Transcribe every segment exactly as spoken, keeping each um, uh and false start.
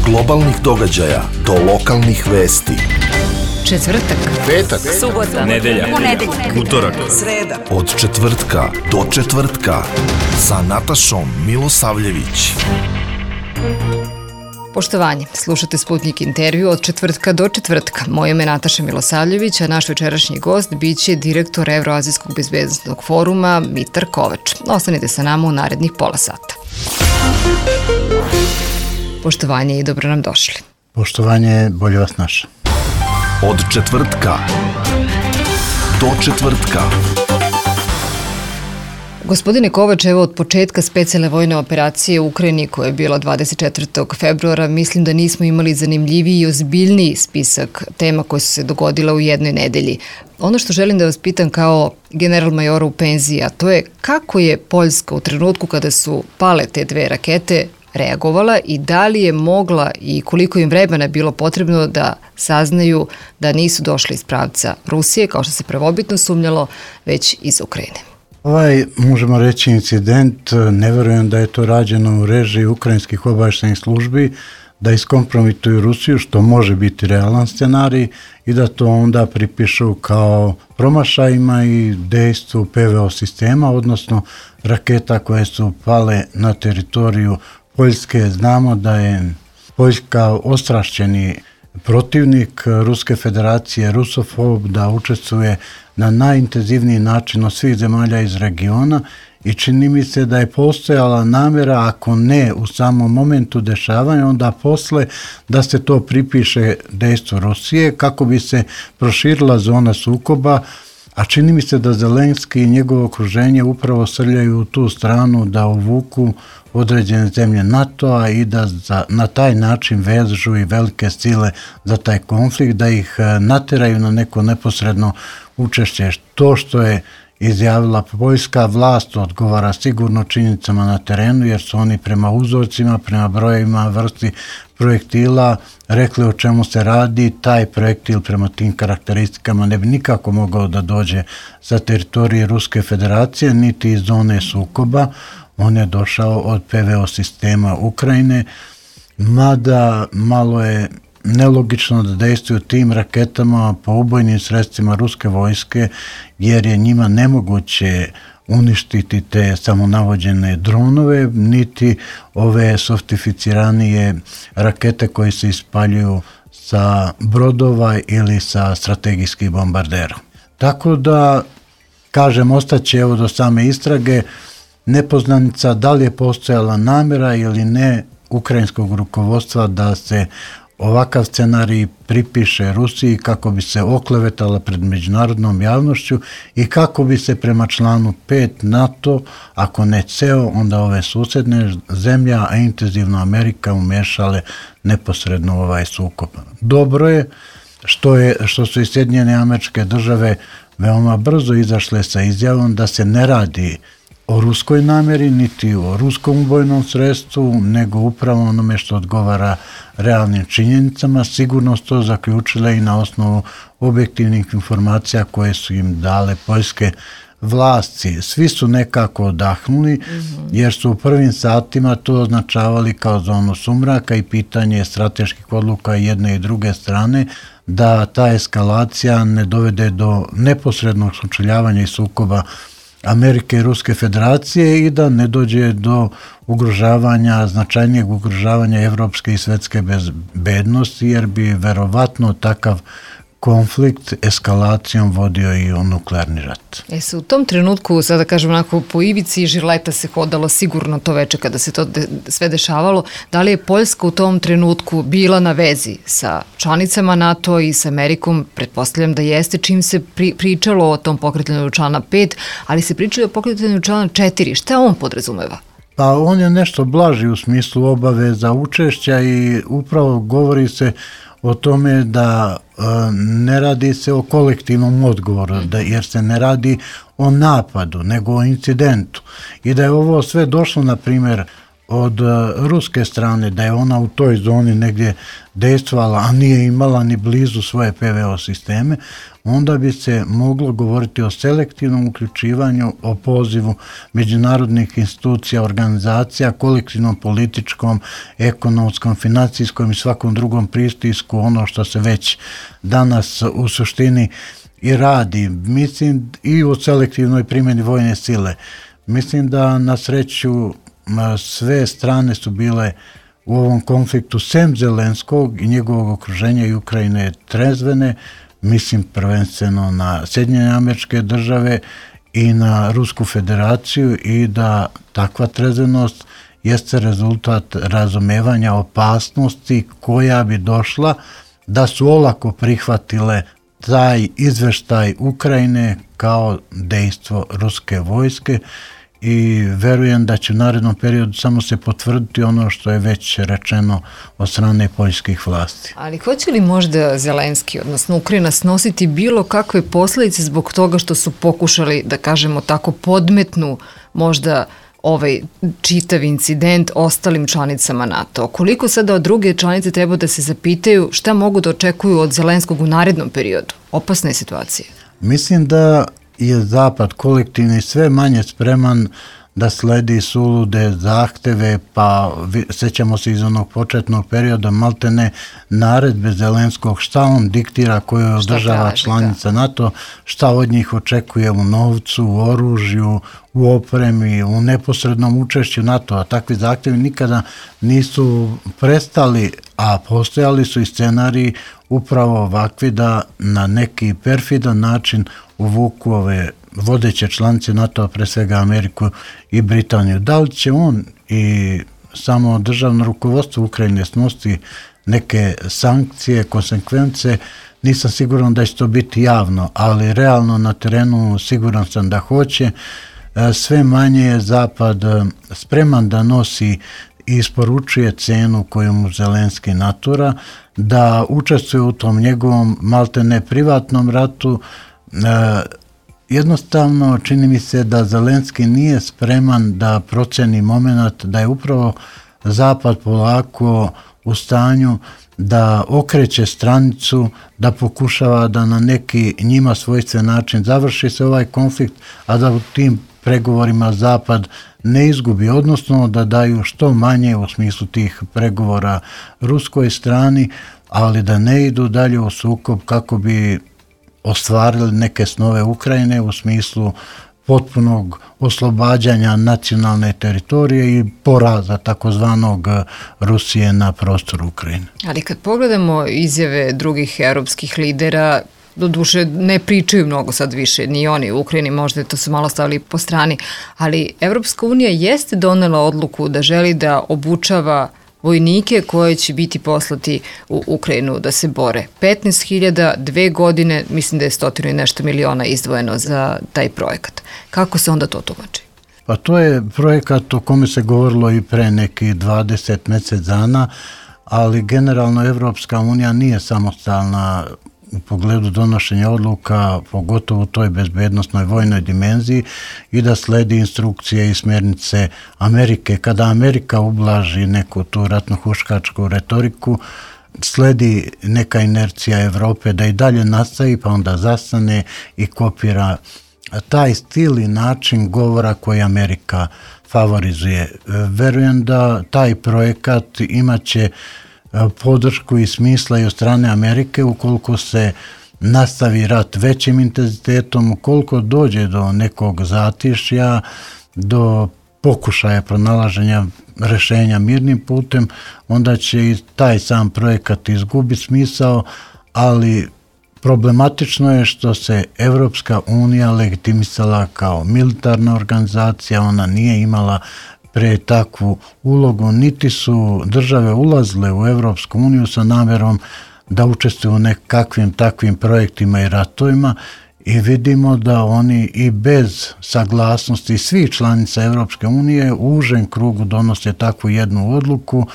globalnih događaja do lokalnih vesti. Četvrtak, petak, subota, nedelja, ponedeljak, utorak, sreda. Od četvrtka do četvrtka sa Natašom Milosavljević. Poštovanje, slušate Sputnik intervju od četvrtka do četvrtka. Moje ime je Nataša Milosavljević, a naš večerašnji gost biće direktor Evroazijskog bezbednosnog foruma Mitar Kovač. Ostanite sa nama u narednih pola sata. Poštovanje i dobro nam došli. Poštovanje, bolje vas naša. Od četvrtka do četvrtka. Gospodine Kovač, evo od početka specijalne vojne operacije u Ukrajini koja je bila dvadeset četvrtog februara, mislim da nismo imali zanimljiviji i ozbiljniji spisak tema koje su se dogodile u jednoj nedelji. Ono što želim da vas pitam kao general majora u penziji, a to je kako je Poljska u trenutku kada su pale te dve rakete reagovala i da li je mogla i koliko im vremena bilo potrebno da saznaju da nisu došli iz pravca Rusije, kao što se prvobitno sumnjalo, već iz Ukrajine. Ovaj, možemo reći, incident, ne verujem da je to rađeno u režiji ukrajinskih obavještajnih službi, da iskompromituju Rusiju, što može biti realan scenarij, i da to onda pripišu kao promašajima i dejstvu P V O sistema, odnosno raketa koje su pale na teritoriju Poljske. Znamo da je Poljska ostrašćeni protivnik Ruske federacije, rusofob, da učestvuje na najintenzivniji način od svih zemalja iz regiona i čini mi se da je postojala namjera, ako ne u samom momentu dešavanja, onda posle da se to pripiše dejstvu Rusije kako bi se proširila zona sukoba, a čini mi se da Zelenski i njegovo okruženje upravo srljaju u tu stranu da uvuku određene zemlje NATO-a i da za, na taj način vežu i velike sile za taj konflikt, da ih nateraju na neko neposredno učešće. To što je izjavila poljska vlast odgovara sigurno činjenicama na terenu, jer su oni prema uzorcima, prema brojevima, vrsti projektila rekli o čemu se radi. Taj projektil prema tim karakteristikama ne bi nikako mogao da dođe sa teritorije Ruske federacije, niti iz zone sukoba. On je došao od P V O sistema Ukrajine, mada malo je nelogično da dejstvuju tim raketama po ubojnim sredstvima ruske vojske, jer je njima nemoguće uništiti te samonavođene dronove, niti ove sofisticiranije rakete koje se ispaljuju sa brodova ili sa strategijskih bombardera. Tako da, kažem, ostaće evo do same istrage nepoznanica da li je postojala namjera ili ne ukrajinskog rukovodstva da se ovakav scenarij pripiše Rusiji kako bi se oklevetala pred međunarodnom javnošću i kako bi se prema članu pet NATO, ako ne ceo, onda ove susjedne zemlje, a intenzivno Amerika, umešale neposredno u ovaj sukob. Dobro je što, je, što su i Sjedinjene Američke Države veoma brzo izašle sa izjavom da se ne radi o ruskoj namjeri, niti o ruskom ubojnom sredstvu, nego upravo onome što odgovara realnim činjenicama. Sigurno to zaključile i na osnovu objektivnih informacija koje su im dale poljske vlasti. Svi su nekako odahnuli, jer su u prvim satima to označavali kao zonu sumraka i pitanje strateških odluka jedne i druge strane, da ta eskalacija ne dovede do neposrednog sučeljavanja i sukoba Amerike i Ruske federacije i da ne dođe do ugrožavanja, značajnijeg ugrožavanja evropske i svetske bezbednosti, jer bi verovatno takav konflikt eskalacijom vodio i o nuklearni rat. E se u tom trenutku, sada kažem onako, po ivici žirleta se hodalo sigurno to veče kada se to de, sve dešavalo. Da li je Poljska u tom trenutku bila na vezi sa članicama NATO i sa Amerikom? Pretpostavljam da jeste, čim se pri, pričalo o tom pokretanju člana pet, ali se pričalo o pokretanju člana četiri. Šta on podrazumeva? Pa on je nešto blaži u smislu obaveza učešća i upravo govori se o tome da e, ne radi se o kolektivnom odgovoru, da, jer se ne radi o napadu, nego o incidentu. I da je ovo sve došlo, na primjer, od ruske strane, da je ona u toj zoni negdje dejstvovala, a nije imala ni blizu svoje P V O sisteme, onda bi se moglo govoriti o selektivnom uključivanju, o pozivu međunarodnih institucija, organizacija, kolektivnom političkom, ekonomskom, financijskom i svakom drugom pristisku, ono što se već danas u suštini i radi. Mislim i o selektivnoj primjeni vojne sile. Mislim da na sreću sve strane su bile u ovom konfliktu sem Zelenskog i njegovog okruženja i Ukrajine trezvene, mislim prvenstveno na Sjedinjene Američke Države i na Rusku federaciju, i da takva trezvenost jeste rezultat razumevanja opasnosti koja bi došla da su olako prihvatile taj izveštaj Ukrajine kao dejstvo ruske vojske, i verujem da će u narednom periodu samo se potvrditi ono što je već rečeno od strane poljskih vlasti. Ali hoće li možda Zelenski, odnosno Ukrajina, snositi bilo kakve posljedice zbog toga što su pokušali, da kažemo tako, podmetnu možda ovaj čitav incident ostalim članicama NATO? Koliko sada od druge članice treba da se zapitaju šta mogu da očekuju od Zelenskog u narednom periodu? Opasna je situacija. Mislim da je Zapad kolektivni sve manje spreman da sledi sulude zahteve, pa sećamo se iz onog početnog perioda maltene naredbe Zelenskog šta on diktira koju održava članica NATO, šta od njih očekuje u novcu, u oružju, u opremi, u neposrednom učešću NATO, a takvi zahtjevi nikada nisu prestali, a postojali su i scenariji upravo ovakvi da na neki perfidan način uvuku ove vodeće članice NATO-a, pre svega Ameriku i Britaniju. Da li će on i samo državno rukovodstvo Ukrajine snositi neke sankcije, konsekvence, nisam siguran da će to biti javno, ali realno na terenu siguran sam da hoće. Sve manje je Zapad spreman da nosi i isporučuje cenu koju mu Zelenski natura, da učestvuje u tom njegovom maltene privatnom ratu. Jednostavno čini mi se da Zelenski nije spreman da proceni moment da je upravo Zapad polako u stanju da okreće stranicu, da pokušava da na neki njima svojstven način završi se ovaj konflikt, a da u tim pregovorima Zapad ne izgubi, odnosno da daju što manje u smislu tih pregovora ruskoj strani, ali da ne idu dalje u sukob kako bi ostvarili neke snove Ukrajine u smislu potpunog oslobađanja nacionalne teritorije i poraza takozvanog Rusije na prostoru Ukrajine. Ali kad pogledamo izjave drugih europskih lidera, doduše ne pričaju mnogo sad više, ni oni u Ukrajini, možda to su malo stavili po strani, ali Evropska unija jeste donela odluku da želi da obučava vojnike koje će biti poslati u Ukrajinu da se bore. petnaest hiljada, dve godine, mislim da je stotinu i nešto miliona izdvojeno za taj projekat. Kako se onda to tumači? Pa to je projekat o kome se govorilo i pre neki dvadeset mjesec dana, ali generalno Evropska unija nije samostalna u pogledu donošenja odluka, pogotovo u toj bezbednosnoj vojnoj dimenziji, i da sledi instrukcije i smjernice Amerike. Kada Amerika ublaži neku tu ratno-huškačku retoriku, sledi neka inercija Evrope da i dalje nastavi, pa onda zastane i kopira taj stil i način govora koji Amerika favorizuje. Verujem da taj projekat imaće podršku i smisla i od strane Amerike ukoliko se nastavi rat većim intenzitetom, ukoliko dođe do nekog zatišja, do pokušaja pronalaženja rešenja mirnim putem, onda će i taj sam projekat izgubiti smisao, ali problematično je što se Evropska unija legitimisala kao militarna organizacija, ona nije imala pre takvu ulogu, niti su države ulazile u Evropsku uniju sa namjerom da učestvuju u nekakvim takvim projektima i ratovima, i vidimo da oni i bez saglasnosti svih članica Evropske unije u užem krugu donose takvu jednu odluku,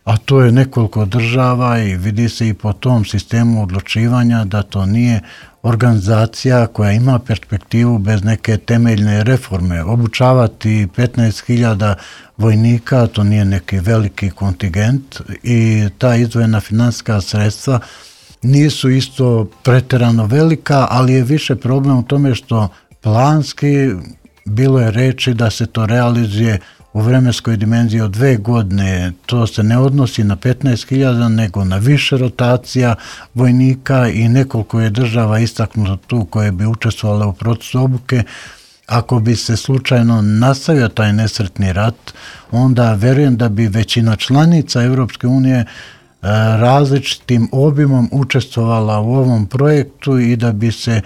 a to je nekoliko država i vidi se i po tom sistemu odlučivanja da to nije organizacija koja ima perspektivu bez neke temeljne reforme. Obučavati petnaest hiljada vojnika, to nije neki veliki kontingent i ta izdvojena finansijska sredstva nisu isto pretjerano velika, ali je više problem u tome što planski bilo je reči da se to realizuje u vremenskoj dimenziji od dve godine. To se ne odnosi na petnaest hiljada, nego na više rotacija vojnika i nekoliko je država istaknuto tu koje bi učestvovale u procesu obuke. Ako bi se slučajno nastavio taj nesretni rat, onda verujem da bi većina članica Evropske unije različitim obimom učestvovala u ovom projektu i da bi se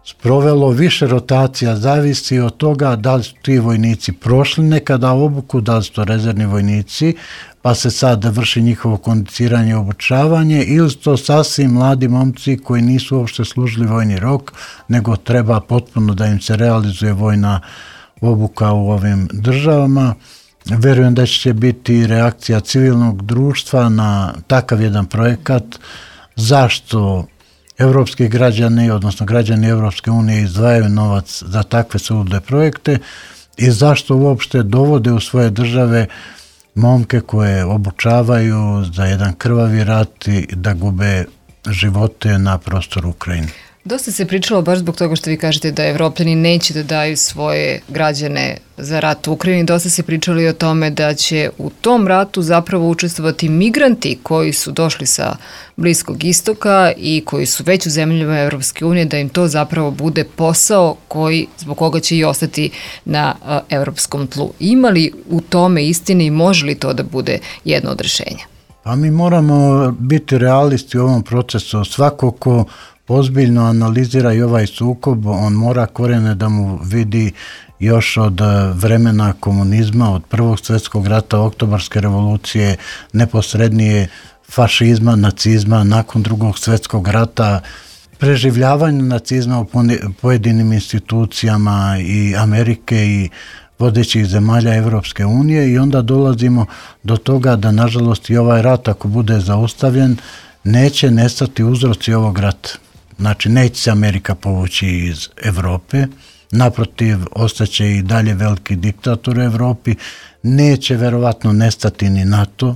sprovelo više rotacija, zavisi od toga da li su ti vojnici prošli nekada obuku, da li su to rezervni vojnici, pa se sad vrši njihovo kondiciranje i obučavanje, ili su to sasvim mladi momci koji nisu uopšte služili vojni rok, nego treba potpuno da im se realizuje vojna obuka u ovim državama. Verujem da će biti reakcija civilnog društva na takav jedan projekat. Zašto evropski građani, odnosno građani Evropske unije izdvajaju novac za takve sulude projekte i zašto uopšte dovode u svoje države momke koje obučavaju za jedan krvavi rat i da gube živote na prostoru Ukrajine. Dosta se pričalo baš zbog toga što vi kažete da Evropljani neće da daju svoje građane za rat u Ukrajini. Dosta se pričali o tome da će u tom ratu zapravo učestvovati migranti koji su došli sa Bliskog istoka i koji su već u zemljama Evropske unije, da im to zapravo bude posao koji, zbog koga će i ostati na a, evropskom tlu. Ima li u tome istine i može li to da bude jedno od rešenja? Pa mi moramo biti realisti u ovom procesu. Svako ko ozbiljno analizira i ovaj sukob, on mora korijene da mu vidi još od vremena komunizma, od Prvog svjetskog rata, Oktobarske revolucije, neposrednije fašizma, nacizma, nakon Drugog svjetskog rata, preživljavanje nacizma u pojedinim institucijama i Amerike i vodećih zemalja Evropske unije i onda dolazimo do toga da nažalost i ovaj rat ako bude zaustavljen neće nestati uzroci ovog rata. Znači, neće se Amerika povući iz Evrope, naprotiv, ostaće i dalje veliki diktator u Evropi, neće verovatno nestati ni NATO,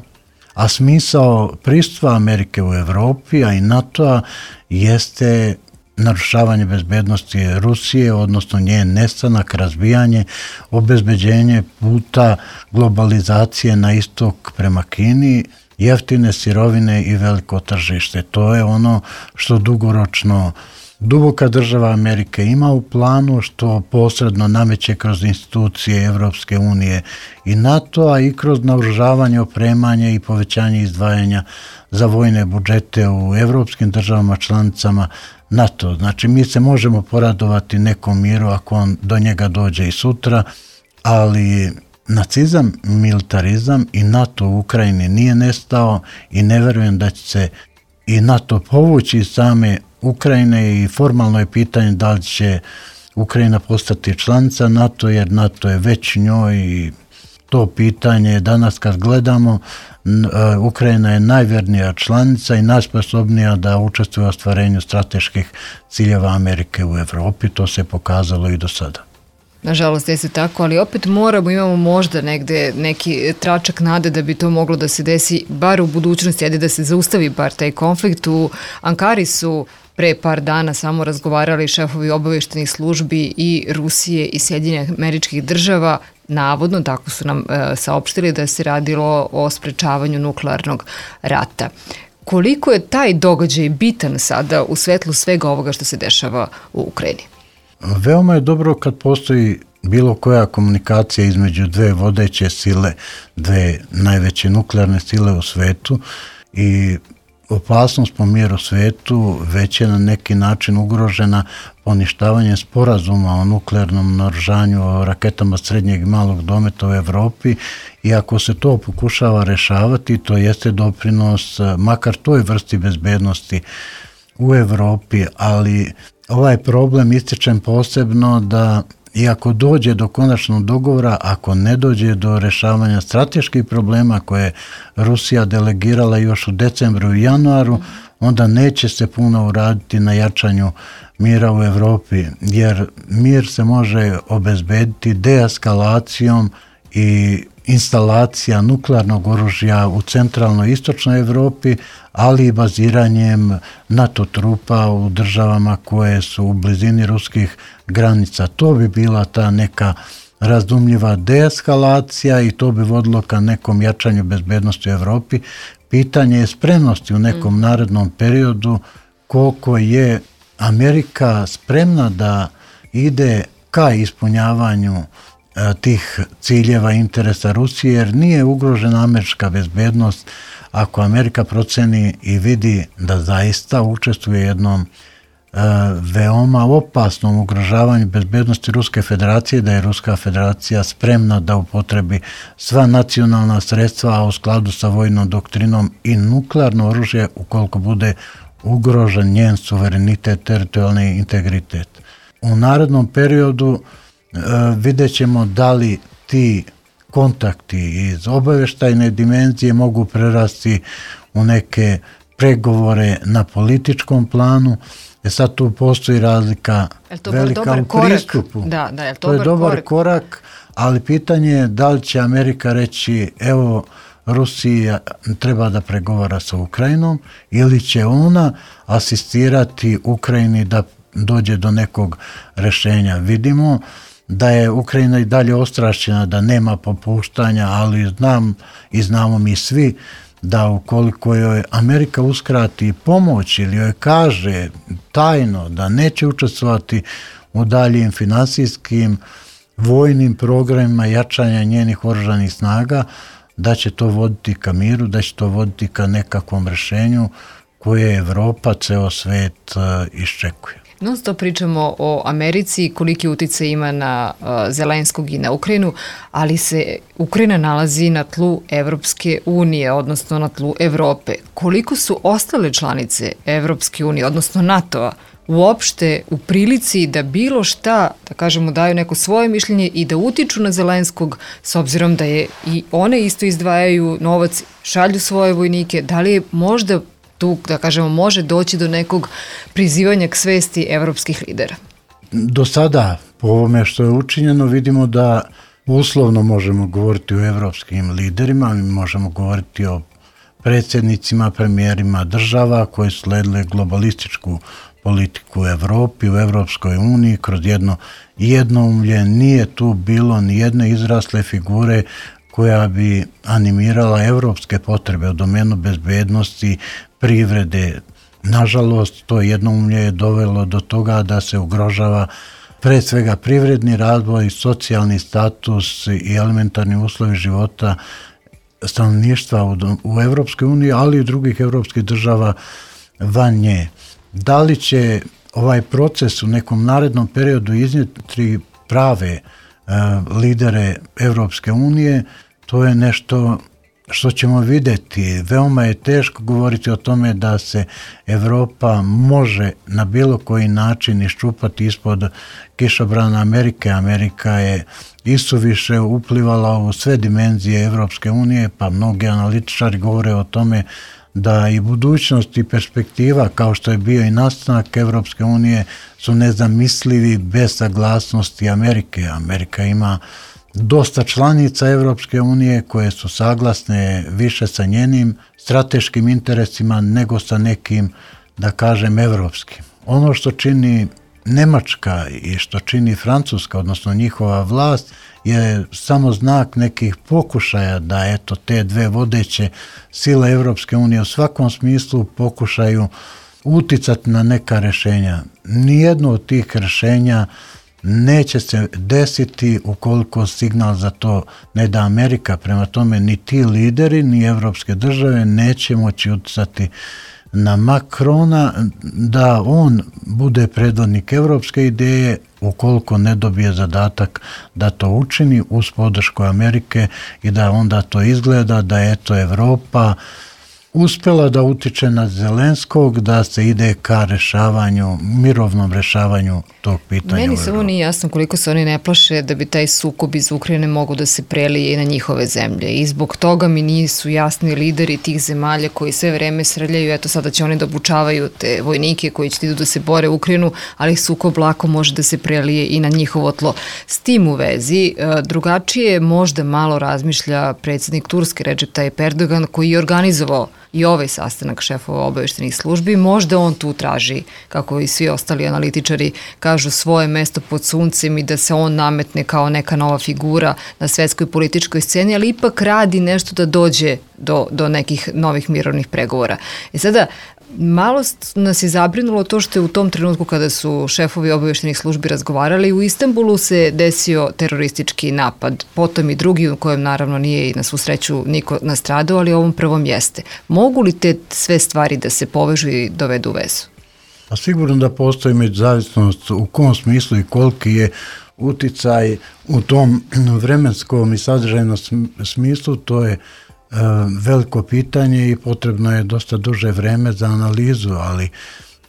a smisao pristupa Amerike u Evropi, a i NATO-a, jeste narušavanje bezbednosti Rusije, odnosno njen nestanak, razbijanje, obezbeđenje puta globalizacije na istok prema Kini, jeftine sirovine i veliko tržište. To je ono što dugoročno duboka država Amerike ima u planu, što posredno nameće kroz institucije Evropske unije i NATO-a i kroz naoružavanje, opremanje i povećanje izdvajanja za vojne budžete u evropskim državama članicama NATO. Znači, mi se možemo poradovati nekom miru ako on do njega dođe i sutra, ali nacizam, militarizam i NATO u Ukrajini nije nestao i ne verujem da će se i NATO povući iz same Ukrajine i formalno je pitanje da li će Ukrajina postati članica NATO, jer NATO je već njoj i to pitanje danas kad gledamo, Ukrajina je najvjernija članica i najsposobnija da učestvuje u ostvarenju strateških ciljeva Amerike u Evropi, to se pokazalo i do sada. Nažalost, jeste tako, ali opet moramo, imamo možda negde neki tračak nade da bi to moglo da se desi bar u budućnosti, ajde da se zaustavi bar taj konflikt. U Ankari su pre par dana samo razgovarali šefovi obavještajnih službi i Rusije i Sjedinjenih Američkih Država, navodno, tako su nam e, saopštili da se radilo o sprečavanju nuklearnog rata. Koliko je taj događaj bitan sada u svetlu svega ovoga što se dešava u Ukrajini? Veoma je dobro kad postoji bilo koja komunikacija između dve vodeće sile, dve najveće nuklearne sile u svetu i opasnost po mir u svetu već je na neki način ugrožena poništavanjem sporazuma o nuklearnom naoružanju, o raketama srednjeg i malog dometa u Evropi i ako se to pokušava rešavati, to jeste doprinos makar toj vrsti bezbednosti u Evropi, ali ovaj problem ističem posebno da i ako dođe do konačnog dogovora, ako ne dođe do rešavanja strateških problema koje je Rusija delegirala još u decembru i januaru, onda neće se puno uraditi na jačanju mira u Evropi, jer mir se može obezbediti deeskalacijom i instalacija nuklearnog oružja u centralnoj i istočnoj Evropi, ali i baziranjem NATO trupa u državama koje su u blizini ruskih granica. To bi bila ta neka razumljiva deeskalacija i to bi vodilo ka nekom jačanju bezbednosti u Evropi. Pitanje je spremnosti u nekom mm. narednom periodu koliko je Amerika spremna da ide ka ispunjavanju a, tih ciljeva interesa Rusije, jer nije ugrožena američka bezbednost ako Amerika proceni i vidi da zaista učestvuje jednom a, veoma opasnom ugrožavanju bezbednosti Ruske federacije, da je Ruska federacija spremna da upotrebi sva nacionalna sredstva, a u skladu sa vojnom doktrinom i nuklearno oružje ukoliko bude ugrožen njen suverenitet, teritorijalni integritet. U narednom periodu e, vidjet ćemo da li ti kontakti iz obaveštajne dimenzije mogu prerasti u neke pregovore na političkom planu. E sad tu postoji razlika velika u korak? pristupu. Da, da, je to, to je dobar korak? korak, ali pitanje je da li će Amerika reći evo Rusija treba da pregovara sa Ukrajinom ili će ona asistirati Ukrajini da dođe do nekog rešenja. Vidimo da je Ukrajina i dalje ostrašćena, da nema popuštanja, ali znam i znamo mi svi da ukoliko joj Amerika uskrati pomoć ili joj kaže tajno da neće učestvovati u daljim finansijskim vojnim programima jačanja njenih oružanih snaga, da će to voditi ka miru, da će to voditi ka nekakvom rešenju koje Evropa, ceo svet iščekuje. Non stop pričamo o Americi, koliki uticaj ima na uh, Zelenskog i na Ukrajinu, ali se Ukrajina nalazi na tlu Evropske unije, odnosno na tlu Evrope. Koliko su ostale članice Evropske unije, odnosno NATO-a, uopšte u prilici da bilo šta, da kažemo, daju neko svoje mišljenje i da utiču na Zelenskog, s obzirom da je i one isto izdvajaju novac, šalju svoje vojnike, da li je možda tu, da kažemo, može doći do nekog prizivanja k svesti evropskih lidera? Do sada, po ovome što je učinjeno, vidimo da uslovno možemo govoriti o evropskim liderima, mi možemo govoriti o predsjednicima, premijerima država koji su sledile globalističku politiku u Evropi, u Evropskoj uniji, kroz jedno jednoumlje. Nije tu bilo ni jedne izrasle figure koja bi animirala evropske potrebe u domenu bezbednosti, privrede. Nažalost, to jednoumlje je dovelo do toga da se ugrožava pre svega privredni razvoj, socijalni status i elementarni uslovi života stanovništva u, u Evropskoj uniji, ali i drugih evropskih država van nje. Da li će ovaj proces u nekom narednom periodu iznijeti prave uh, lidere Evropske unije, to je nešto što ćemo vidjeti. Veoma je teško govoriti o tome da se Evropa može na bilo koji način iščupati ispod kišobrana Amerike. Amerika je isuviše uplivala u sve dimenzije Evropske unije, pa mnogi analitičari govore o tome da i budućnost i perspektiva, kao što je bio i nastanak Evropske unije, su nezamislivi bez saglasnosti Amerike. Amerika ima dosta članica Evropske unije koje su saglasne više sa njenim strateškim interesima nego sa nekim, da kažem, evropskim. Ono što čini Nemačka i što čini Francuska, odnosno njihova vlast, je samo znak nekih pokušaja da eto te dve vodeće sile Evropske unije u svakom smislu pokušaju uticati na neka rešenja. Nijedno od tih rešenja neće se desiti ukoliko signal za to ne da Amerika. Prema tome ni ti lideri, ni evropske države neće moći uticati na Makrona da on bude predvodnik evropske ideje ukoliko ne dobije zadatak da to učini uz podršku Amerike i da onda to izgleda da eto Evropa uspela da utiče na Zelenskog da se ide ka rešavanju, mirovnom rešavanju tog pitanja. Meni samo nije jasno koliko se oni ne plaše da bi taj sukob iz Ukrajine mogu da se prelije i na njihove zemlje. I zbog toga mi nisu jasni lideri tih zemalja koji sve vreme srljaju, eto sada će oni da obučavaju te vojnike koji će idu da se bore u Ukrajinu, ali sukob lako može da se prelije i na njihovo tlo. S tim u vezi, drugačije možda malo razmišlja predsjednik Turske Recep Tayyip Erdogan, koji je organizovao i ovaj sastanak šefova obaveštenih službi. Možda on tu traži, kako i svi ostali analitičari kažu, svoje mesto pod suncem i da se on nametne kao neka nova figura na svetskoj političkoj sceni, ali ipak radi nešto da dođe do, do nekih novih mirovnih pregovora. I sada, malo nas je zabrinulo to što je u tom trenutku kada su šefovi obaveštenih službi razgovarali, u Istanbulu se desio teroristički napad, potom i drugi u kojem naravno nije i na svu sreću niko nastradao, ali ovom prvom jeste. Mogu li te sve stvari da se povežu i dovedu u vezu? Pa sigurno da postoji međuzavisnost u kom smislu i koliki je uticaj u tom vremenskom i sadržajnom smislu, to je veliko pitanje i potrebno je dosta duže vreme za analizu, ali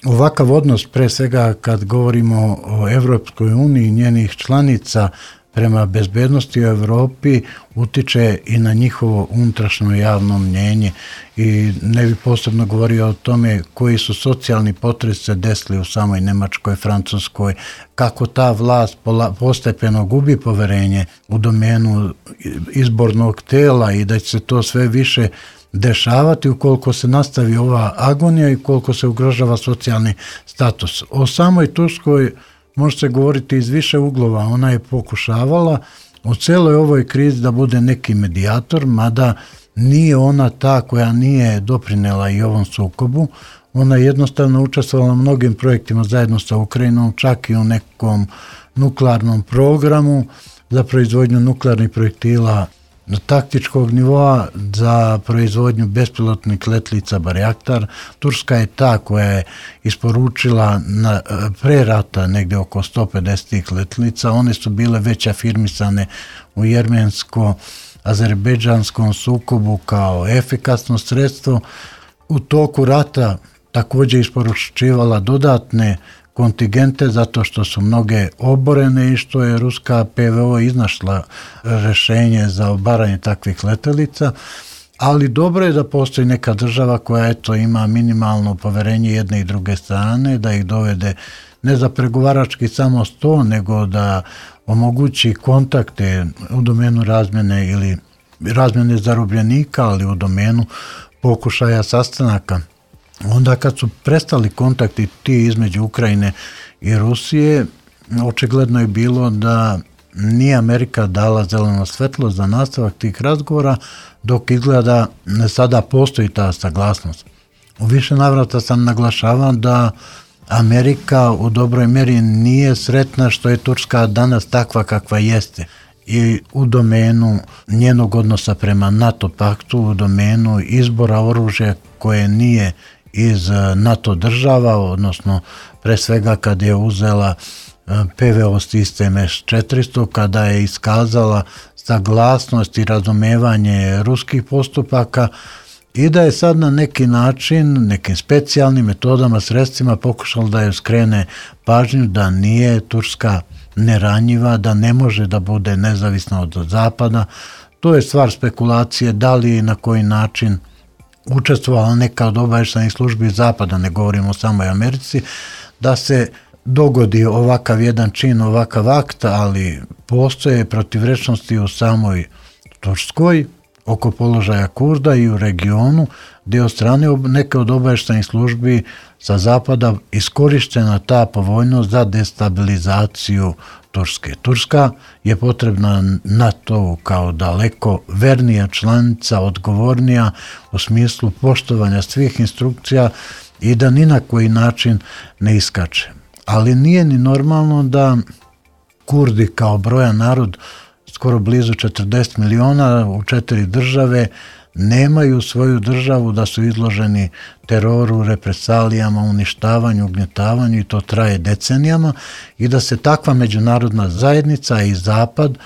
ovakav odnos, pre svega kad govorimo o Evropskoj uniji i njenih članica prema bezbednosti u Evropi, utiče i na njihovo unutrašnje javno mnjenje i ne bi posebno govorio o tome koji su socijalni potresi se desili u samoj Nemačkoj, Francuskoj, kako ta vlast postepeno gubi poverenje u domenu izbornog tela i da će se to sve više dešavati ukoliko se nastavi ova agonija i ukoliko se ugrožava socijalni status. O samoj Turskoj može se govoriti iz više uglova. Ona je pokušavala u celoj ovoj krizi da bude neki medijator, mada nije ona ta koja nije doprinela i ovom sukobu. Ona je jednostavno učestvovala u mnogim projektima zajedno sa Ukrajinom, čak i u nekom nuklearnom programu za proizvodnju nuklearnih projektila taktičkog nivoa, za proizvodnju bespilotnih letlica Barjaktar. Turska je ta koja je isporučila na, pre rata negde oko sto pedeset letlica. One su bile već afirmisane u jermensko-azerbejdžanskom sukobu kao efikasno sredstvo. U toku rata također isporučivala dodatne kontingente zato što su mnoge oborene i što je ruska P V O iznašla rešenje za obaranje takvih letelica, ali dobro je da postoji neka država koja eto ima minimalno poverenje jedne i druge strane, da ih dovede ne za pregovarački samo sto, nego da omogući kontakte u domenu razmjene ili razmjene zarobljenika, ali u domenu pokušaja sastanaka. Onda kad su prestali kontakti ti između Ukrajine i Rusije, očigledno je bilo da nije Amerika dala zeleno svetlo za nastavak tih razgovora, dok izgleda sada postoji ta saglasnost. U više navrata sam naglašavan da Amerika u dobroj meri nije sretna što je Turska danas takva kakva jeste i u domenu njenog odnosa prema NATO paktu, u domenu izbora oružja koje nije iz NATO država, odnosno pre svega kad je uzela P V O sistem S četiristo, kada je iskazala saglasnost i razumevanje ruskih postupaka i da je sad na neki način, nekim specijalnim metodama, sredstvima pokušala da je skrene pažnju da nije Turska neranjiva, da ne može da bude nezavisna od Zapada. To je stvar spekulacije da li i na koji način učestvovala neka od obavještajnih službi Zapada, ne govorimo o samoj Americi, da se dogodi ovakav jedan čin, ovakav akt, ali postoje protivrečnosti u samoj Turskoj oko položaja Kurda i u regionu, gdje od strane neke od obavještajnih službi sa Zapada iskorištena ta povoljnost za destabilizaciju Turske. Turska je potrebna NATO kao daleko vernija članica, odgovornija u smislu poštovanja svih instrukcija i da ni na koji način ne iskače. Ali nije ni normalno da Kurdi kao brojan narod, skoro blizu četrdeset miliona u četiri države, nemaju svoju državu, da su izloženi teroru, represalijama, uništavanju, ugnjetavanju i to traje decenijama i da se takva međunarodna zajednica i Zapad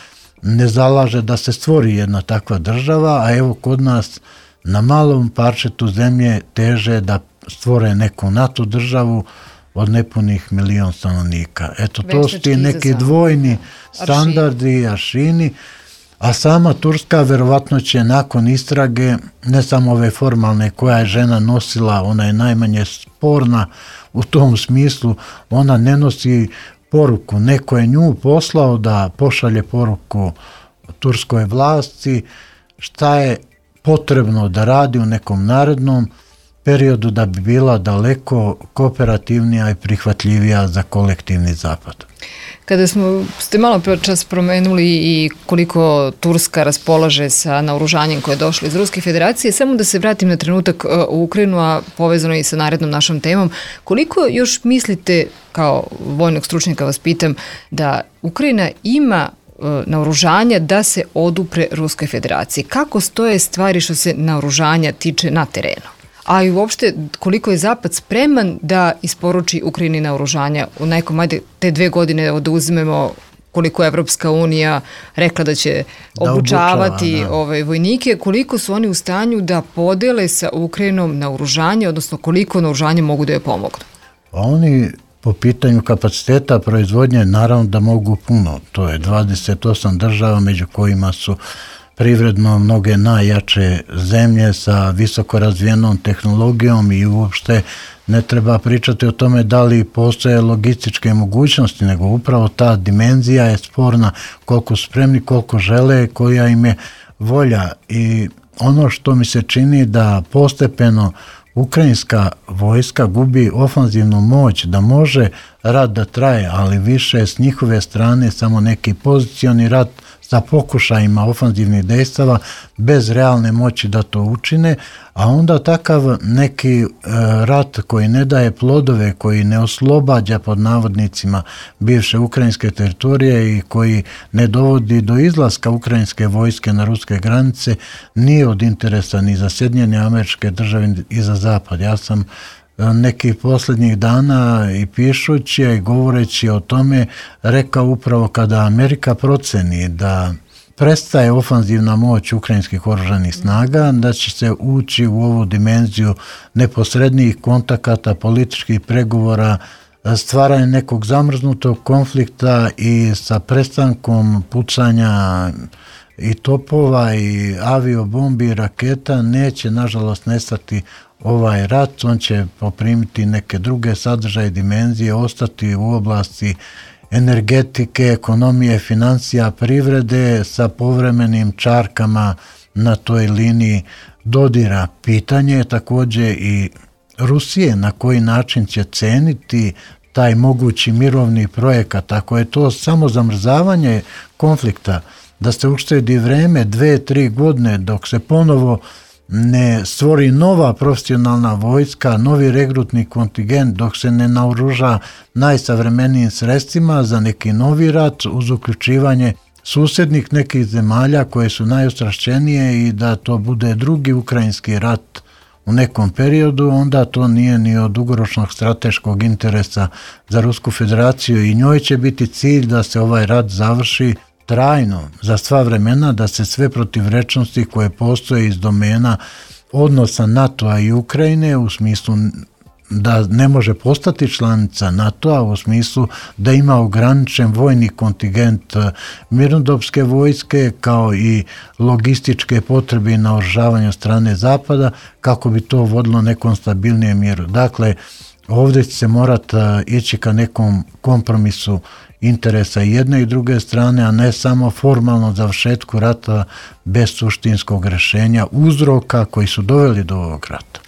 ne zalaže da se stvori jedna takva država, a evo kod nas na malom parčetu zemlje teže da stvore neku NATO državu od nepunih milion stanovnika. Eto, to su ti neki dvojni standardi, aršini, a sama Turska verovatno će nakon istrage, ne samo ove formalne koja je žena nosila, ona je najmanje sporna u tom smislu, ona ne nosi poruku, neko je nju poslao da pošalje poruku turskoj vlasti šta je potrebno da radi u nekom narednom periodu da bi bila daleko kooperativnija i prihvatljivija za kolektivni zapad. Kada smo, ste malo čas promenuli i koliko Turska raspolaže sa naoružanjem koje je došlo iz Ruske federacije, samo da se vratim na trenutak u Ukrajinu, a povezano i sa narednom našom temom, koliko još mislite, kao vojnog stručnjaka vas pitam, da Ukrajina ima naoružanja da se odupre Ruskoj federaciji? Kako stoje stvari što se naoružanja tiče na terenu? A i uopšte koliko je Zapad spreman da isporuči Ukrajini naoružanja u nekom, ajde, te dve godine da uzmemo koliko je Evropska unija rekla da će da obučavati obučava, da. Ove vojnike, koliko su oni u stanju da podele sa Ukrajinom naoružanje, odnosno koliko naoružanja mogu da je pomognu? Oni po pitanju kapaciteta proizvodnje naravno da mogu puno. To je dvadeset osam država među kojima su privredno mnoge najjače zemlje sa visoko razvijenom tehnologijom i uopšte ne treba pričati o tome da li postoje logističke mogućnosti, nego upravo ta dimenzija je sporna, koliko spremni, koliko žele, koja im je volja. I ono što mi se čini da postepeno ukrajinska vojska gubi ofanzivnu moć, da može rat da traje, ali više s njihove strane samo neki pozicioni rat sa pokušajima ofanzivnih dejstava bez realne moći da to učine, a onda takav neki e, rat koji ne daje plodove, koji ne oslobađa pod navodnicima bivše ukrajinske teritorije i koji ne dovodi do izlaska ukrajinske vojske na ruske granice, nije od interesa ni za Sjedinjene Američke Države i za Zapad. Ja sam nekih posljednjih dana i pišući i govoreći o tome rekao upravo kada Amerika proceni da prestaje ofanzivna moć ukrajinskih oružanih snaga, da će se ući u ovu dimenziju neposrednijih kontakata, političkih pregovora, stvaranje nekog zamrznutog konflikta i sa prestankom pucanja i topova i aviobombi i raketa neće nažalost nestati ovaj rat, on će poprimiti neke druge sadržaje, dimenzije, ostati u oblasti energetike, ekonomije, financija, privrede sa povremenim čarkama na toj liniji dodira. Pitanje je također i Rusije na koji način će ceniti taj mogući mirovni projekat. Ako je to samo zamrzavanje konflikta, da se uštedi vreme dve, tri godine dok se ponovo ne stvori nova profesionalna vojska, novi regrutni kontingent, dok se ne naoruža najsavremenijim sredstvima za neki novi rat uz uključivanje susjednih nekih zemalja koje su najostrašćenije i da to bude drugi ukrajinski rat u nekom periodu, onda to nije ni od dugoročnog strateškog interesa za Rusku federaciju i njoj će biti cilj da se ovaj rat završi trajno, za sva vremena, da se sve protivrečnosti koje postoje iz domena odnosa NATO-a i Ukrajine u smislu da ne može postati članica NATO-a, u smislu da ima ograničen vojni kontingent mirnodopske vojske kao i logističke potrebe i naoružavanja strane Zapada kako bi to vodilo nekom stabilnijem mjeru. Dakle, ovdje će se morati ići ka nekom kompromisu interesa jedne i druge strane, a ne samo formalno završetku rata bez suštinskog rješenja uzroka koji su doveli do ovog rata.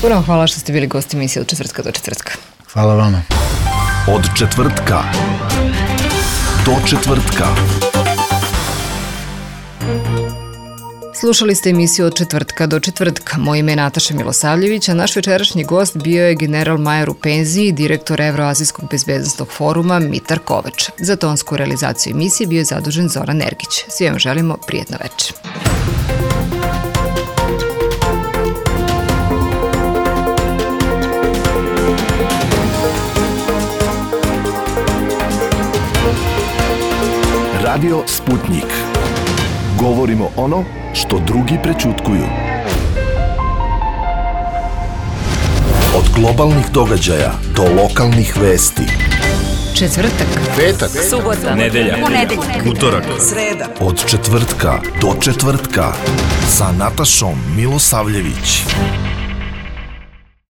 Puno hvala što ste bili gosti emisije od četvrtka do četvrtka. Hvala vama. Od četvrtka do četvrtka. Slušali ste emisiju od četvrtka do četvrtka. Moje ime je Nataša Milosavljević, a naš večerašnji gost bio je general Majer u penziji, direktor Evroazijskog bezbednosnog foruma Mitar Kovač. Za tonsku realizaciju emisije bio je zadužen Zoran Nergić. Svi vam želimo prijetno večer. Radio Sputnik. Govorimo ono što drugi prećutkuju. Od globalnih događaja do lokalnih vesti. Četvrtak, petak, subota, nedelja, ponedeljak, utorak, sreda. Od četvrtka do četvrtka sa Natašom Milosavljević.